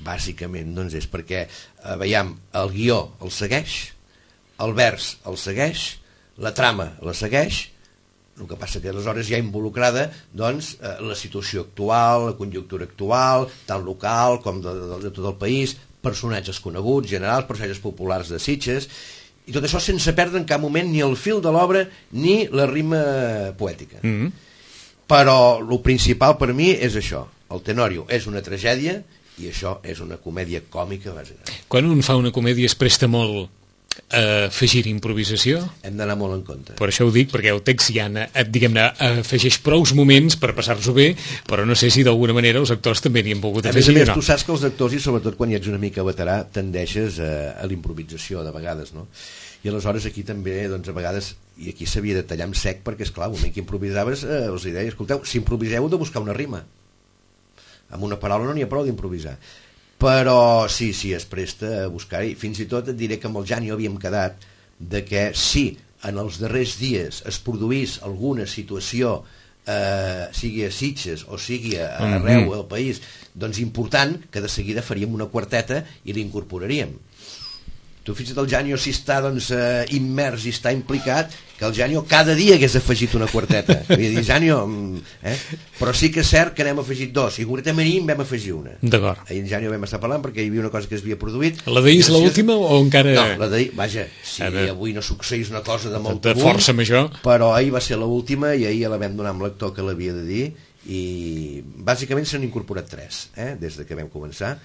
Bàsicament doncs és perquè veiem, el guió el segueix, el vers el segueix, la trama la segueix, el que passa que aleshores hi ha involucrada doncs, la situació actual, la conjuntura actual, tant local com de tot el país, personatges coneguts, generals, personatges populars de Sitges, i tot això sense perdre en cap moment ni el fil de l'obra ni la rima poètica. Però el principal per mi és això, el Tenorio és una tragèdia i això és una comèdia còmica bàsicament. Quan un fa una comèdia es presta molt a afegir improvisació? Hem d'anar molt en compte. Per això ho dic, perquè el text ja diguem-ne, afegeix prous moments per passar-s'ho bé, però no sé si d'alguna manera els actors també n'hi han pogut afegir a més, o no. Tu saps que els actors, i sobretot quan hi ets una mica veterà, tendeixes a l'improvisació de vegades, no? I aleshores aquí també, doncs a vegades, i aquí s'havia de tallar amb sec, perquè esclar, un moment que improvisaves els deia, escolteu, si improviseu heu de buscar una rima. Amb una paraula no n'hi ha prou d'improvisar. Però sí, es presta a buscar-hi. Fins i tot et diré que amb el Jani havíem quedat de que si en els darrers dies es produís alguna situació, sigui a Sitges o sigui arreu del país, doncs important, que de seguida faríem una quarteta i l'incorporaríem. Tu fins i tot el Janio, si està doncs, immers i està implicat, que el Janio cada dia hagués afegit una quarteta. Vull dir, Janio, però sí que és cert que n'hem afegit dos, i concretament ahir en vam afegir una. D'acord. Ahir en Janio vam estar parlant perquè hi havia una cosa que es havia produït. La d'ahir és l'última o encara... No, la d'ahir, vaja, si avui no succeís una cosa de molt de força major, però ahir va ser l'última i ahir ja la vam donar amb l'actor que l'havia de dir, i bàsicament s'han incorporat 3, des de que vam començar,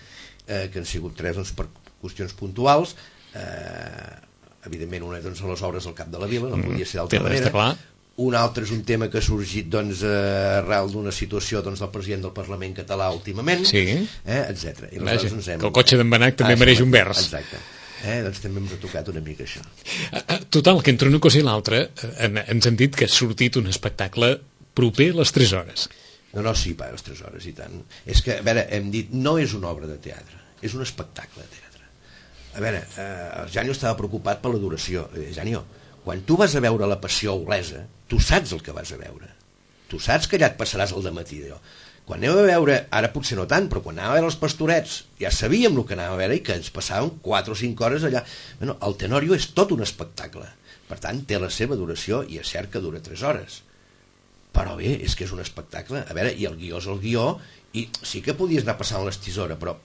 que han sigut 3 doncs, per qüestions puntuals. Evidentment una doncs, a les obres al Cap de la Vila, no podia ser d'altra manera. Un altre és un tema que ha sorgit doncs, arrel d'una situació doncs, del president del Parlament català últimament, etc. Vaja, que el cotxe d'en Benach també mereix un vers. Exacte. Doncs també hem retocat una mica això. Total, que entre una cosa i l'altra hem sentit que ha sortit un espectacle proper a les 3 hores. No, sí, a les 3 hores i tant. És que, a veure, hem dit, no és una obra de teatre, és un espectacle de teatre. A veure, el Janio estava preocupat per la duració. Janio, quan tu vas a veure La Passió a Olesa, tu saps el que vas a veure. Tu saps que allà et passaràs el dematí d'allò. Quan aneu a veure, ara potser no tant, però quan anàvem a veure els Pastorets, ja sabíem el que anàvem a veure i que ens passàvem 4 o 5 hores allà. Bueno, el Tenorio és tot un espectacle. Per tant, té la seva duració i és cert que dura 3 hores. Però bé, és que és un espectacle. A veure, i el guió és el guió, i sí que podies anar passant l'estisora, però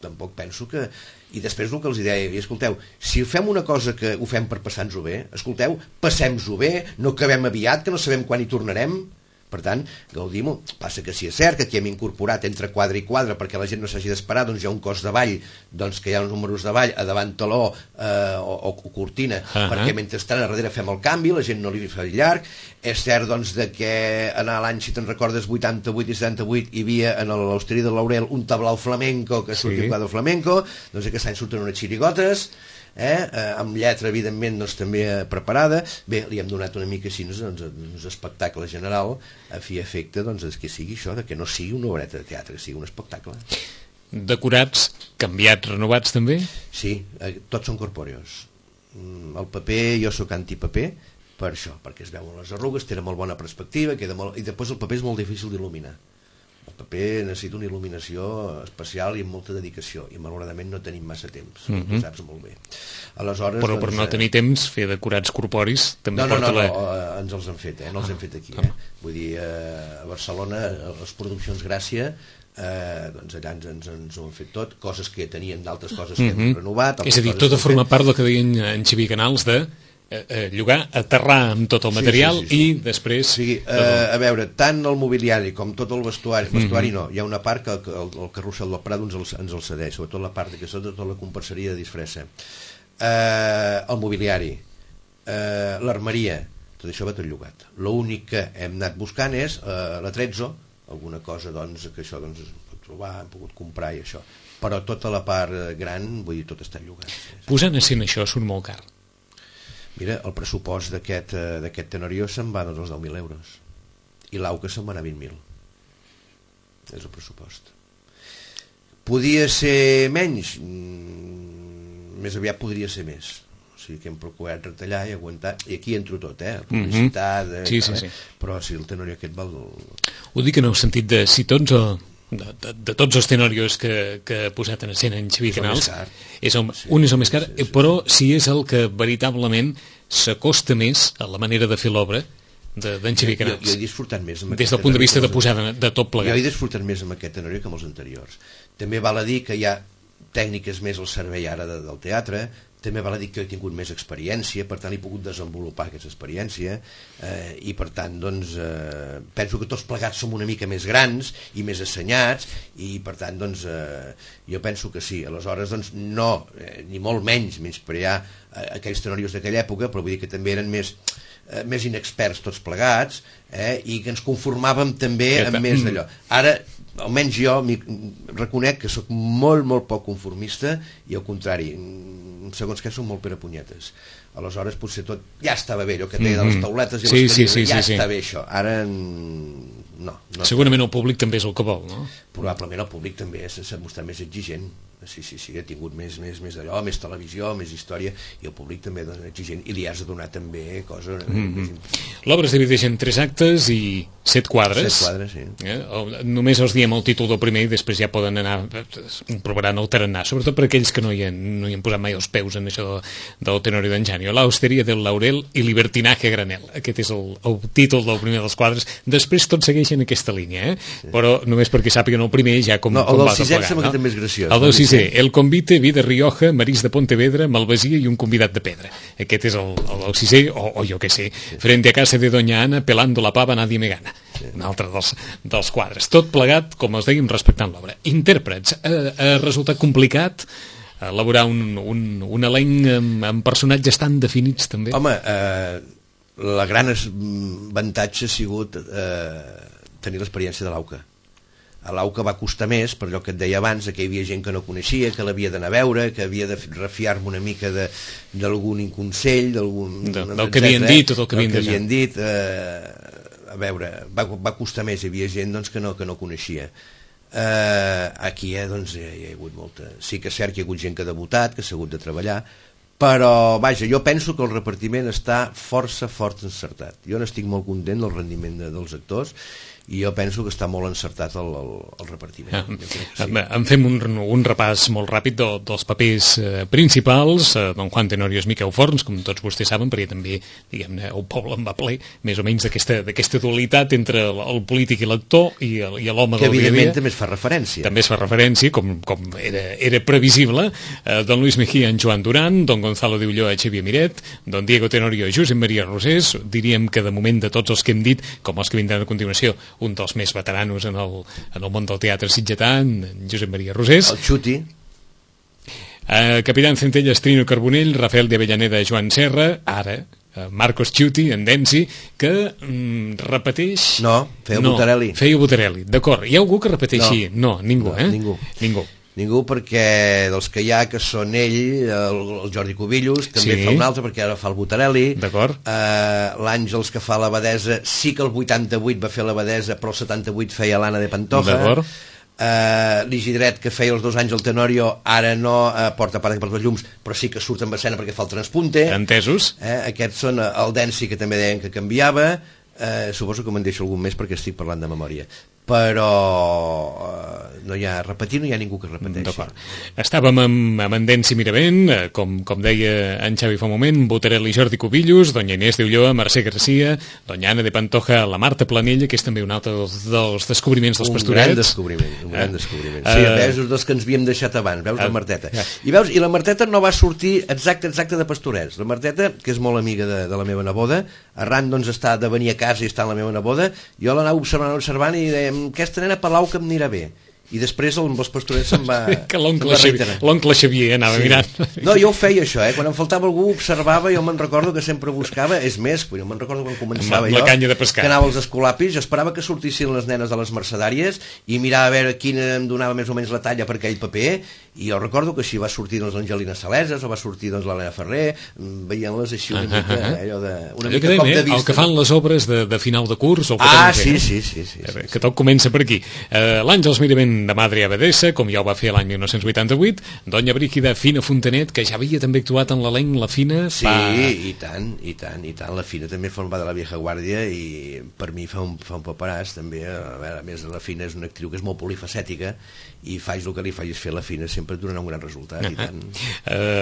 tampoc penso que... I després el que els deia, escolteu, si fem una cosa que ho fem per passar-nos-ho bé, escolteu, passem-nos-ho bé, no acabem aviat, que no sabem quan hi tornarem. Per tant, gaudim-ho. Passa que si és cert que aquí hem incorporat entre quadre i quadre perquè la gent no s'hagi d'esperar, doncs hi ha un cos de ball, doncs que hi ha uns números de ball a davant taló o cortina, perquè mentrestant a darrere fem el canvi, la gent no li fa llarg. És cert doncs de que en l'any, si te'n recordes, 88 i 78 hi havia en l'Hosteria de Laurel un tablau flamenco que sortia un quadre flamenco, doncs aquest any surten unes xirigotes, amb lletra evidentment doncs, també preparada. Bé, li hem donat una mica així un espectacle general a fi efecte doncs, que sigui això, que no sigui una obreta de teatre, que sigui un espectacle. Decorats, canviats, renovats també? Sí, tots són corpòreos. El paper, jo sóc antipaper per això, perquè es veuen les arrugues, té molt bona perspectiva, queda molt... i després el paper és molt difícil d'il·luminar. El paper necessita una il·luminació especial i amb molta dedicació, i malauradament no tenim massa temps, tu saps molt bé. Aleshores, però per no tenir temps, fer decorats corporis també porta la... No, ens els han fet, no els hem fet aquí. Vull dir, a Barcelona, a les produccions Gràcia, doncs allà ens ho han fet tot, coses que tenien d'altres coses que hem renovat. És a dir, tot a formar part del que deien en Xavier Canals de llogar, aterrar amb tot el material i després... A veure, tant el mobiliari com tot el vestuari no, hi ha una part que el Carrusel del Prado ens el cedeix, sobretot la part que és tota la comparseria de disfressa, el mobiliari, l'armeria, tot això va tot llogat. L'únic que hem anat buscant és la Trezzo, alguna cosa doncs, que això doncs, es pot trobar, hem pogut comprar i això, però tota la part gran, vull dir, tot està llogat. Posant a escena això surt molt car. Mira, el pressupost d'aquest Tenorio se'n va doncs, als 10.000 euros i l'AUCA se'n va anar a 20.000. És el pressupost. Podia ser menys? Més aviat podria ser més. O sigui que hem procurat retallar i aguantar, i aquí entro tot, publicitat, sí. Però sí, el Tenorio aquest val... Ho dic en el sentit de si tots de tots els tenorios que ha posat en escena en Xavier Canals, un és el més car, però si és el que veritablement s'acosta més a la manera de fer l'obra d'en Xavier Canals. Jo he disfrutat més amb des del punt de vista de posar de tot plegat. Jo he disfrutat més amb aquest Tenorio que amb els anteriors. També val a dir que hi ha tècniques més al servei ara del teatre, també val a dir que he tingut més experiència, per tant he pogut desenvolupar aquesta experiència, i per tant doncs, penso que tots plegats som una mica més grans i més assenyats, i per tant doncs, jo penso que sí. Aleshores doncs, no, ni molt menys menysprear aquells tenorios d'aquella època, però vull dir que també eren més inexperts tots plegats, i que ens conformàvem també amb més d'allò. Ara, almenys jo reconec que sóc molt, molt poc conformista, i al contrari, segons què som molt perapunyetes. Aleshores potser tot ja estava bé, allò que té de les tauletes i les cadires, ja està bé això. Ara no. Segurament el públic també és el que vol, no? Probablement el públic també s'ha mostrat més exigent. Sí, ha tingut més d'allò, més televisió, més història, i el públic també és exigent, i li has de donar també coses... L'obra es divideix en 3 actes i 7 quadres. 7 quadres, sí. Només els diem el títol del primer i després ja poden anar provaran el tarannà, sobretot per aquells que no hi han posat mai els peus en això del Tenorio d'Anjanio. La Hosteria del Laurel i Libertinaje a Granel. Aquest és el títol del primer dels quadres. Després tots segueixen aquesta línia, però només perquè sàpiguen el primer ja com va el del sisè sembla que també és graciós. El del sisè, El Convite, Vida Rioja, Marís de Pontevedra, Malvasia i un convidat de pedra. Aquest és el sisè, o jo què sé, Frente a casa de Doña Ana, pelando la pava, nadie me gana. Un altre dels quadres. Tot plegat, com els dèiem, respectant l'obra. Intèrprets. Ha resultat complicat elaborar un elenc amb personatges tan definits, també? Home, el gran avantatge ha sigut tenir l'experiència de l'AUCA. A l'AUCA va costar més, per allò que et deia abans, que hi havia gent que no coneixia, que l'havia d'anar a veure, que havia de refiar-me una mica d'algun inconsell, del que havien dit o del que havien dit. A veure, va costar més, hi havia gent doncs, que no coneixia. Aquí doncs, hi ha hagut molta... Sí que és cert que hi ha hagut gent que ha debutat, que s'ha hagut de treballar, però, vaja, jo penso que el repartiment està força encertat. Jo n'estic molt content del rendiment dels actors, i jo penso que està molt encertat el repartiment. En fem un repàs molt ràpid dels papers principals. Don Juan Tenorio és Miquel Forns, com tots vostès saben, perquè també, diguem-ne, el poble en va ple, més o menys d'aquesta dualitat entre el polític i l'actor i l'home del dia a dia. Que evidentment també es fa referència. També es fa referència, com era previsible. Don Luis Mejía, en Joan Duran, Don Gonzalo de Ulloa, Xavier Miret, Don Diego Tenorio, Josep Maria Rosés. Diríem que de moment de tots els que hem dit, com els que vindran a continuació, un dels més veteranos en el món del teatre sitgetà, en Josep Maria Rosés. El Xuti. Capitán Centelles, Trino Carbonell, Rafael de Avellaneda, Joan Serra, ara Marcos Xuti, en Densi, que repeteix... No, feia Butarelli. Feia Butarelli, d'acord. Hi ha algú que repeteixi? No, ningú, Ningú, perquè dels que hi ha, que són ell, el Jordi Cubillos, també fa un altre, perquè ara fa el Butarelli. D'acord. L'Àngels, que fa l'Abadesa, sí que el 88 va fer l'Abadesa, però el 78 feia l'Anna de Pantoja. D'acord. L'Isidret, que feia els 2 anys al Tenorio, ara no porta part per les llums, però sí que surt en escena perquè fa el transpunte. Entesos. Aquests són el Densi, que també deien que canviava. Suposo que me'n deixo algun més perquè estic parlant de memòria, però no hi ha ningú que repeteixi. Estàvem amb en Densi Miravent, com deia en Xavi fa un moment, Butarelli, Jordi Cubillos, Doña Inés de Ulloa, Mercè Garcia, Doña Ana de Pantoja, la Marta Planella, que és també un altre dels descobriments dels Pastorets. Un gran descobriment. Sí, veus dels que ens havíem deixat abans, veus la Marteta. I la Marteta no va sortir exacte de Pastorets. La Marteta, que és molt amiga de la meva neboda, arran doncs està de venir a casa i està amb la meva neboda, jo l'anava observant i dèiem, aquesta nena per l'au que em anirà bé. I després els Pastorets se'n va reiterar. L'oncle Xavier anava mirant. No, jo ho feia això, quan em faltava algú observava, jo me'n recordo que sempre buscava, és més, jo me'n recordo quan començava jo, que anava als escolapis, jo esperava que sortissin les nenes de les mercedàries i mirava a veure quina em donava més o menys la talla per aquell paper, i jo recordo que així va sortir l'Angelina Saleses o va sortir l'Helena Ferrer, veient-les així una mica, allò de... una mica cop de vista. El que fan les obres de final de curs, sí. Que tot comença per aquí. L'Àngels Miravent de Madre Abadessa, com ja ho va fer l'any 1988, Doña Brígida Fina Fontanet, que ja havia també actuat en l'elenc La Fina. Sí, i tant. La Fina també forma de la vieja guàrdia i per mi fa un paperàs també. A més, la Fina és una actriu que és molt polifacètica i faig el que li facis fer la Fina sempre et donarà un gran resultat. I tant.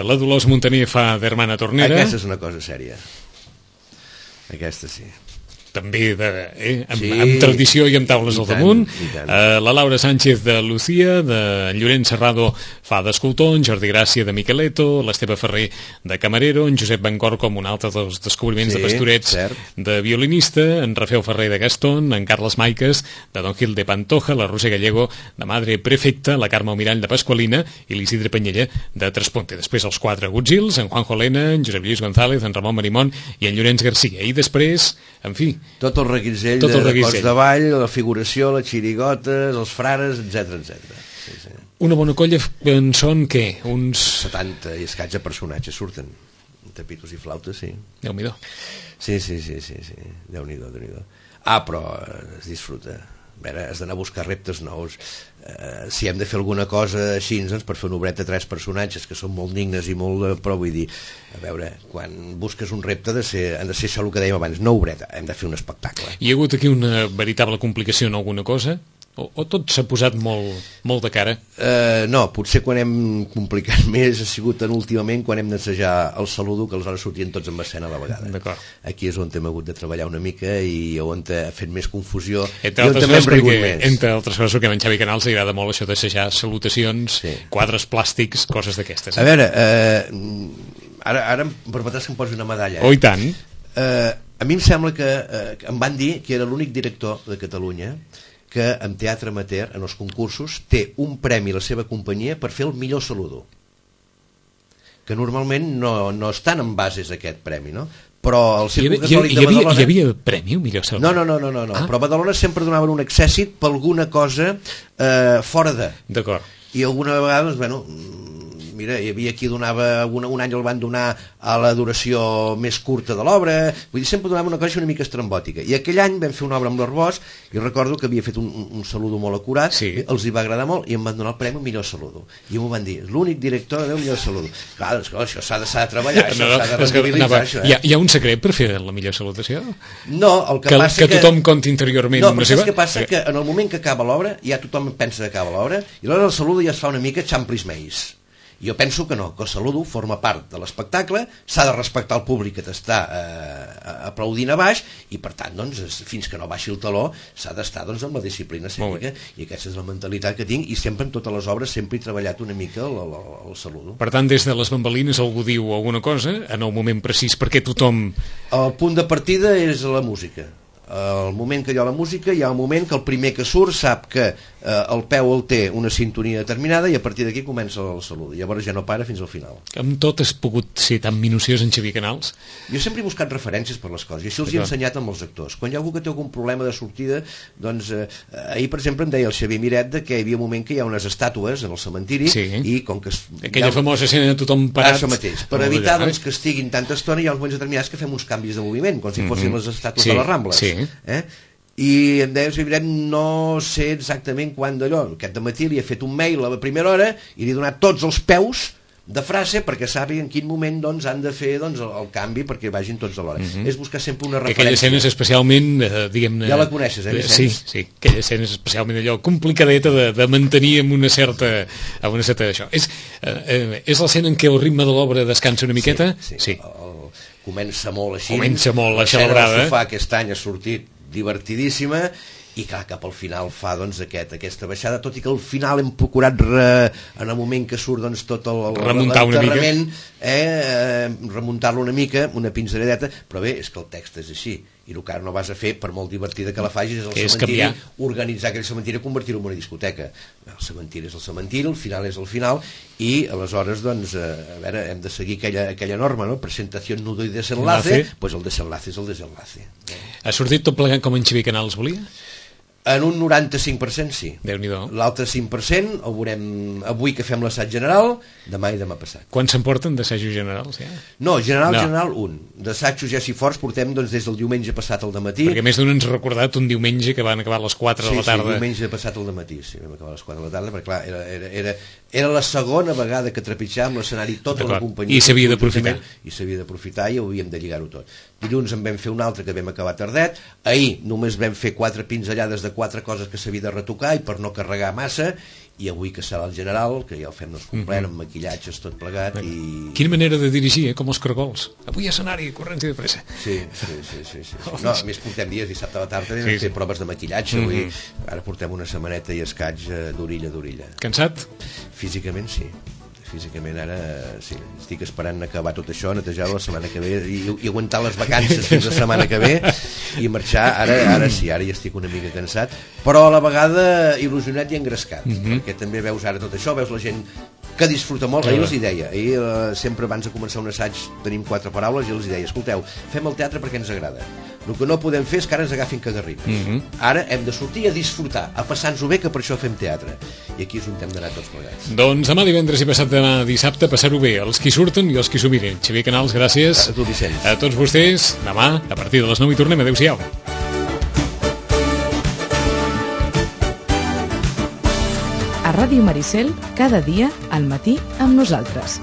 La Dolors Montaner fa d'Hermana Tornera. Aquesta és una cosa sèria. Aquesta sí. També amb tradició i amb taules al damunt. La Laura Sánchez de Lucía, de Llorenç Serrado fa d'escultor, en Jordi Gràcia de Miqueleto, l'Esteve Ferrer de camarero, en Josep Bancor com un altre dels descobriments de Pastorets de violinista, en Rafael Ferrer de Gastón, en Carles Maiques de Don Gil de Pantoja, la Roser Gallego de Madre Prefecta, la Carme Almirall de Pasqualina i l'Isidre Penyella de Tresponte. Després els 4 Gutzils, en Juanjo Elena, en Josep Lluís González, en Ramon Marimón i en Llorenç Garcia. I després, en fi, tot el reguitzell de cos de ball, la figuració, les xirigotes, els frares, etc. Sí. Una bona colla en són, què? Uns 70 i escaig de personatges surten. Tapitos i flautes, sí. Déu-n'hi-do. Sí. Déu-n'hi-do. Però es disfruta. A veure, has d'anar a buscar reptes nous. Si hem de fer alguna cosa així, doncs, per fer una obreta 3 personatges que són molt dignes i molt... Però vull dir, a veure, quan busques un repte han de ser això el que dèiem abans, no obreta, hem de fer un espectacle. Hi ha hagut aquí una veritable complicació en alguna cosa? O tot s'ha posat molt de cara? No, potser quan hem complicat més ha sigut últimament quan hem d'assajar el saludo, que aleshores sortien tots en escena a la vegada. D'acord. Aquí és on hem hagut de treballar una mica i on ha fet més confusió. Entre altres coses, perquè a en Xavi Canals li agrada molt això d'assajar salutacions, quadres plàstics, coses d'aquestes. A veure, ara em permetràs que em posi una medalla. Oh, i tant. A mi em sembla que em van dir que era l'únic director de Catalunya que en teatre amateur, en els concursos, té un premi a la seva companyia per fer el millor saludo. Que normalment no estan en bases aquest premi, no? Però el Circuit Catòlic de Badalona... Hi havia premi, un millor saludo? No. Però a Badalona sempre donaven un accèssit per alguna cosa fora de... D'acord. I alguna vegada, bueno... Mira, hi havia qui donava, un any el van donar a la duració més curta de l'obra, vull dir, sempre donava una cosa una mica estrambòtica. I aquell any vam fer una obra amb l'Arbós i recordo que havia fet un saludo molt acurat, els hi va agradar molt i em van donar el premi millor saludo. I m'ho van dir, l'únic director del millor saludo. Clar, doncs, això s'ha de treballar, això s'ha de rendibilitzar, això. Hi ha un secret per fer la millor salutació? No, el que passa que tothom conti interiorment. No, però saps què passa? Que en el moment que acaba l'obra, ja tothom pensa que acaba l'obra, i aleshores el saludo ja es fa una mica xamplis-meis. Jo penso que no, que el saludo forma part de l'espectacle, s'ha de respectar el públic que t'està aplaudint a baix i per tant, doncs, fins que no baixi el taló s'ha d'estar amb la disciplina escènica i aquesta és la mentalitat que tinc i sempre en totes les obres sempre he treballat una mica el saludo. Per tant, des de les bambalines algú diu alguna cosa en el moment precís perquè tothom... El punt de partida és la música. El moment que hi ha la música, hi ha un moment que el primer que surt sap que el peu el té una sintonia determinada i a partir d'aquí comença el salut. Llavors ja no para fins al final. Amb tot has pogut ser tan minuciós en Xavier Canals? Jo sempre he buscat referències per les coses i això els he ensenyat amb els actors. Quan hi ha algú que té algun problema de sortida, doncs ahir per exemple em deia el Xavier Miret que hi havia un moment que hi ha unes estàtues en el cementiri i com que... Aquella famosa escena de tothom parat... Això mateix. Per evitar que estiguin tanta estona hi ha uns moments determinats que fem uns canvis de moviment, com si fossin les estàtues de les Rambles. I em deia, no sé exactament quan d'allò. Aquest dematí li he fet un mail a la primera hora i li he donat tots els peus de frase perquè sàpiga en quin moment han de fer el canvi perquè vagin tots a l'hora. És buscar sempre una referència. Aquella escena és especialment, diguem-ne... Ja la coneixes, Vicenç? Sí, aquella escena és especialment allò complicadeta de mantenir amb una certa d'això. És l'escena en què el ritme de l'obra descansa una miqueta? Sí. Comença molt així. Comença molt acelebrada. L'escena del sofà aquest any ha sortit divertidíssima i clar, cap al final fa aquesta baixada, tot i que al final hem procurat en el moment que surt tot l'enterrament remuntar-lo una mica, una pinzelladeta, però bé, és que el text és així i el que ara no vas a fer, per molt divertida que la facis, és el cementiri, organitzar aquell cementiri i convertir-ho en una discoteca. El cementiri és el cementiri, el final és el final i aleshores, a veure, hem de seguir aquella norma, no? Presentació, nudo i desenlace, doncs el desenlace és el desenlace. Ha sortit tot plegat com en Xavier Canals volia? En un 95% sí. Déu-n'hi-do. L'altre 5% el veurem avui que fem l'assaig general, demà i demà passat. Quan se'n porten d'assajos generals, ja? No, general un. D'assajos ja si forts portem doncs, des del diumenge passat al dematí. Perquè més d'un ens ha recordat un diumenge que van acabar a les 4 de la tarda. Sí, diumenge passat al dematí, sí, vam acabar a les 4 de la tarda, perquè clar, era la segona vegada que trepitjàvem l'escenari tota la companyia. I s'havia d'aprofitar. I s'havia d'aprofitar i ho havíem de lligar-ho tot. Dilluns en vam fer un altre que vam acabar tardet, ahir només vam fer 4 pinzellades de 4 coses que s'havia de retocar i per no carregar massa, i avui que serà el general, que ja el fem complet, amb maquillatges, tot plegat. I... Quina manera de dirigir, com els cargols. Avui escenari, corrents i de pressa. Sí. No, a més portem dies, dissabte a la tarda vam fer proves de maquillatge, avui ara portem una setmaneta i escaig d'orilla a orilla. Cansat? Físicament sí. Físicament ara sí, estic esperant acabar tot això, netejar-ho la setmana que ve i aguantar les vacances fins la setmana que ve i marxar, ara sí, ara ja estic una mica cansat, però a la vegada il·lusionat i engrescat, perquè també veus ara tot això, veus la gent que disfruta molt. Ahir els hi deia, sempre abans de començar un assaig tenim 4 paraules i els hi deia, escolteu, fem el teatre perquè ens agrada, el que no podem fer és que ara ens agafin cagarripes, ara hem de sortir a disfrutar, a passar-nos-ho bé, que per això fem teatre, i aquí és on hem d'anar tots plegats. Doncs demà divendres i passat demà dissabte passar-ho bé, els qui surten i els qui s'ho miren. Xavier Canals, gràcies. A tu, Vicenç. A tots vostès, demà a partir de les 9 hi tornem. Adéu-siau. A Ràdio Maricel, cada dia al matí amb nosaltres.